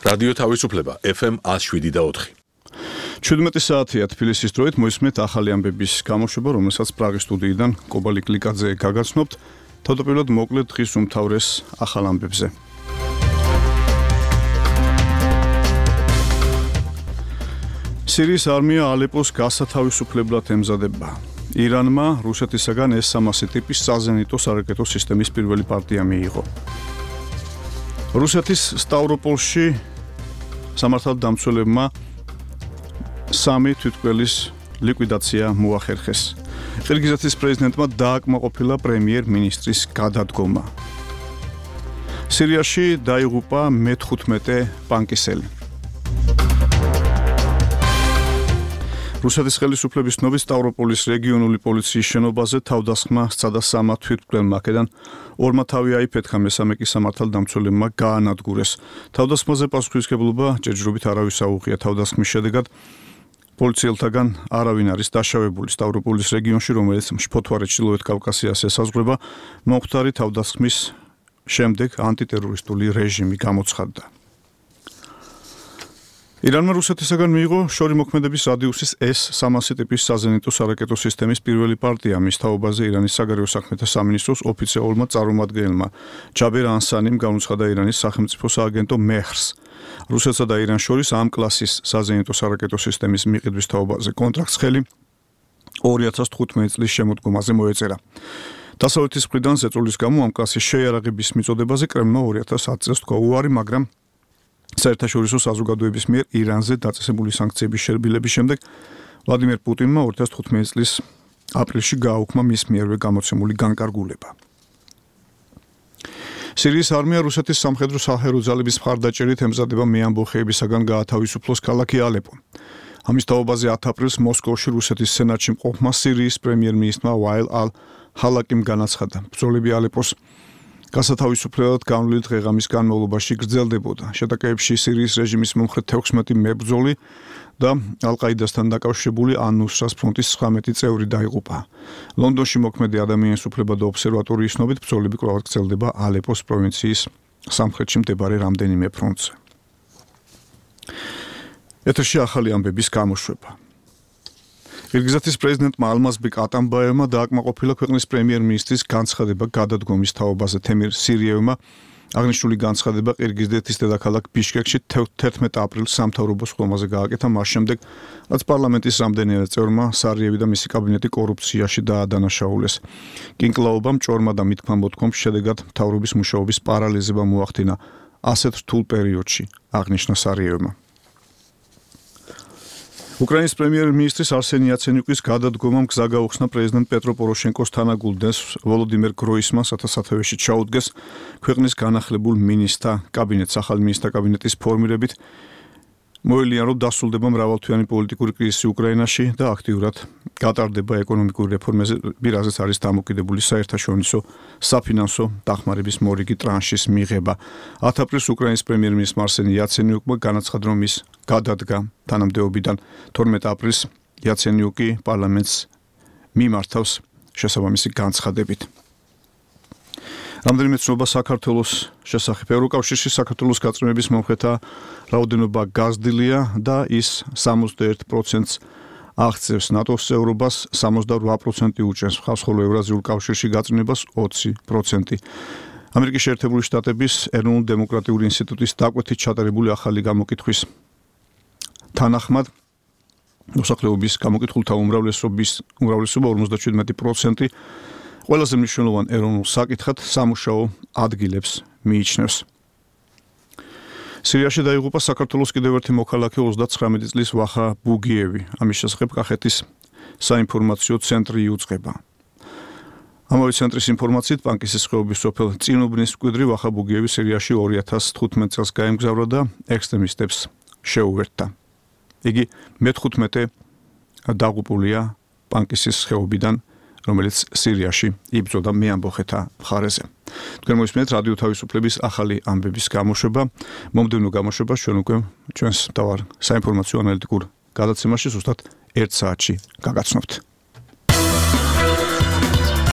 რადიო თავისუფლება FM 107.4. 17 საათია თბილისის დროით მოისმენთ ახალი ამბების გამოშვება, რომელსაც პრაღის სტუდიიდან კობალი კლიკაძე გაგაცნობთ. თავდაპირველად მოკლედ დღის უმთავრეს ახალ ამბებზე. სირიის არმია ალეპოს გასათავისუფლებლად ემზადება. ირანმა რუსეთისაგან S-300 ტიპის საზენიტო სარაკეტო სისტემის პირველი პარტია მიიღო. რუსეთის სტავროპოლში სამართალდამცველებმა 3 თვითმკვლელის ლიკვიდაცია მოახერხეს. ყირგიზეთის პრეზიდენტმა დააკმაყოფილა პრემიერ-მინისტრის გადადგომა. სირიაში დაიღუპა მე-15 პანკისელი. რუსეთის ხელისუფლების ცნობით სტავროპოლის რეგიონული პოლიციის შენობაზე თავდასხმა სცადა 3 თვითმკვლელმა, აქედან 2 თავი აიფეთქა, მესამე კი სამართალდამცველებმა გაანადგურეს. თავდასხმაზე პასუხისმგებლობა ჯერჯერობით არავის აუღია. თავდასხმის შედეგად პოლიციელთაგან არავინ არის დაშავებული. სტავროპოლის რეგიონში, რომელიც მშფოთვარე ჩრდილოეთ კავკასიას ესაზღვრება, მომხდარი თავდასხმის შემდეგ ანტიტერორისტული რეჟიმი გამოცხადდა. ირანმა რუსეთისაგან მიიღო შორიმოქმედების რადიუსის S-300 ტიპის საზენიტო სარაკეტო სისტემის პირველი პარტია. მის თაობაზე ირანის საგარეო საქმეთა სამინისტროს ოფიციალურმა წარმომადგენელმა ჯაბერ ანსანიმ გამოცხადა ირანის სახელმწიფო სააგენტო მეჰრს. რუსეთსა და ირანს შორის ამ კლასის საზენიტო სარაკეტო სისტემის მიყიდვის თაობაზე კონტრაქტს ხელი 2015 წლის შემოდგომაზე მოეწერა. დასავლეთის მხრიდან ზეწოლის გამო ამ კლასის შეიარაღების მიწოდებაზე კრემლმა 2010 წელს თქვა უარი, მაგრამ საერთაშორისო საზოგადოების მიერ ირანზე დაწესებული სანქციების შერბილების შემდეგ ვლადიმერ პუტინმა 2015 წლის აპრილში გააუქმა მის მიერვე გამოცემული განკარგულება. სირიის არმია რუსეთის სამხედრო საჰერო ძალების მხარდაჭერით ემზადება მეამბოხეებისაგან გაათავისუფლოს ქალაქი ალეპო. ამის თაობაზე 10 აპრილს მოსკოვში რუსეთის სენატში მყოფმა სირიის პრემიერ-მინისტრმა ვაილ ალ-ჰალაკიმ განაცხადა, ბრძოლები ალეპოს გასათავისუფლებლად განვლილი დღეღამის განმავლობაში გრძელდებოდა. შეტაკებებში სირიის რეჟიმის მომხრე 16 მებრძოლი და ალ-ყაიდასთან დაკავშირებული ან-ნუსრას ფრონტის 19 წევრი დაიღუპა. ლონდონში მოქმედი ადამიანის უფლებათა ობსერვატორიის ცნობით ბრძოლები კვლავ გრძელდება ალეპოს პროვინციის სამხრეთში მდებარე რამდენიმე ფრონტზე. ეთერში ახალი ამბების გამოშვება. ყირგიზეთის პრეზიდენტმა ალმაზბეკ ატამბაევმა დააკმაყოფილა ქვეყნის პრემიერ-მინისტრის განცხადება გადადგომის თაობაზე. თემირ სირიევმა აღნიშნული განცხადება ყირგიზეთის დედაქალაქ ბიშკეკში 11 აპრილს სამთავრობო სხდომაზე გააკეთა, მას შემდეგ, რაც პარლამენტის რამდენიმე წევრმა სარიევი და მისი კაბინეტი კორუფციაში დაადანაშაულეს. კინკლაობამ ჭორმა და მითქმა-მოთქვამის შედეგად მთავრობის მუშაობის პარალიზება მოახდინა ასეთ რთულ პერიოდში, აღნიშნა სარიევმა. უკრაინის პრემიერ-მინისტრის არსენი იაცენიუკის გადადგომამ გზა გაუხსნა პრეზიდენტ პეტრო პოროშენკოს თანაგულდენს ვოლოდიმერ გროისმანს, სათავეში ჩაუდგეს ქვეყნის განახლებულ მინისტრთა კაბინეტს. ახალ მინისტრთა კაბინეტის ფორმირებით მოელიან, რომ დასრულდება მრავალთვიანი პოლიტიკური კრიზისი უკრაინაში და აქტიურად გატარდება ეკონომიკური რეფორმები, რაზეც არის დამოკიდებული საერთაშორისო საფინანსო დახმარების მორიგი ტრანშის მიღება. 10 აპრილს უკრაინის პრემიერ-მინისტრმა არსენი იაცენიუკმა განაცხადა, რომ ის გადადგა თანამდებობიდან. 12 აპრილს იაცენიუკი პარლამენტს მიმართავს შესაბამისი განცხადებით. რამდენიმე ცნობა საქართველოს შესახებ. ევროკავშირში საქართველოს გაწმენდების მომხრეთა რაოდენობა გაზრდილია და ის 61%-ს აღწევს. ნატოს წევრობას 68% უჭერს, ხოლო ევრაზიულ კავშირში გაწმენდებას 20%. ამერიკის შეერთებული შტატების ეროვნულ დემოკრატიული ინსტიტუტის დაკვეთით ჩატარებული ახალი გამოკითხვის თანახმად მოსახლეობის გამოკითხულთა უმრავლესობა 57% ყველაზე მნიშვნელოვან ეროვნულ საკითხად სამუშაო ადგილებს მიიჩნევს. სირიაში დაიღუპა საქართველოს კიდევ ერთი მოქალაქე 39 წლის ვახა ბუგიევი. ამის შესახებ კახეთის საინფორმაციო ცენტრი იუწყება. ამავე ცენტრის ინფორმაციით პანკისის ხეობის სოფელ წინუბნის მკვიდრი ვახა ბუგიევი სირიაში 2015 წელს გაემგზავრა და ექსტრემისტებს შეუერთდა. იგი მე-15 დაღუპულია პანკისის ხეობიდან, რომელიც სირიაში იბრძოდა მეამბოხეთა მხარეზე. თქვენ მოისმენთ რადიო თავისუფლების ახალი ამბების გამოშვება. მომდევნო გამოშვებას ჩვენ უკვე ჩვენს მთავარ საინფორმაციო ანალიტიკურ გადაცემაში ზუსტად 1 საათში გაგაცნობთ.